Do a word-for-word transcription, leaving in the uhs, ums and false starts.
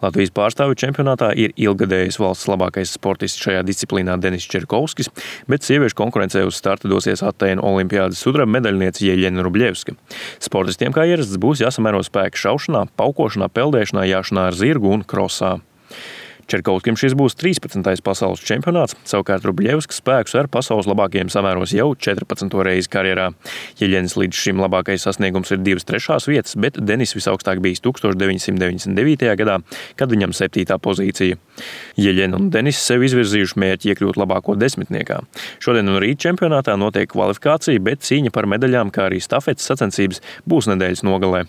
Latvijas pārstāvju čempionātā ir ilggadējs valsts labākais sportists šajā disciplīnā Denis Čerkovskis, bet sieviešu konkurencē uz starta dosies Atēnu olimpiādes sudraba medaļniece Jeļena Rubļevska. Sportistiem kā ierasts būs jāsamēro spēki šaušanā, paukošanā, peldēšanā, jāšanā ar zirgu un krosā. Čerkovskim šis būs trīspadsmitais pasaules čempionāts, savukārt Rubļevska spēkus ar pasaules labākajiem samēros jau četrpadsmito reizi karjerā. Jeļenas līdz šim labākais sasniegums ir divas trešās vietas, bet Denis visaugstāk bijis tūkstoš deviņsimt deviņdesmit devītajā gadā, kad viņam septītā pozīcija. Jeļena un Denis sev izvirzījuši mērķi iekļūt labāko desmitniekā. Šodien un rīt čempionātā notiek kvalifikācija, bet cīņa par medaļām, kā arī stafetes sacensības būs nedēļas nogalē.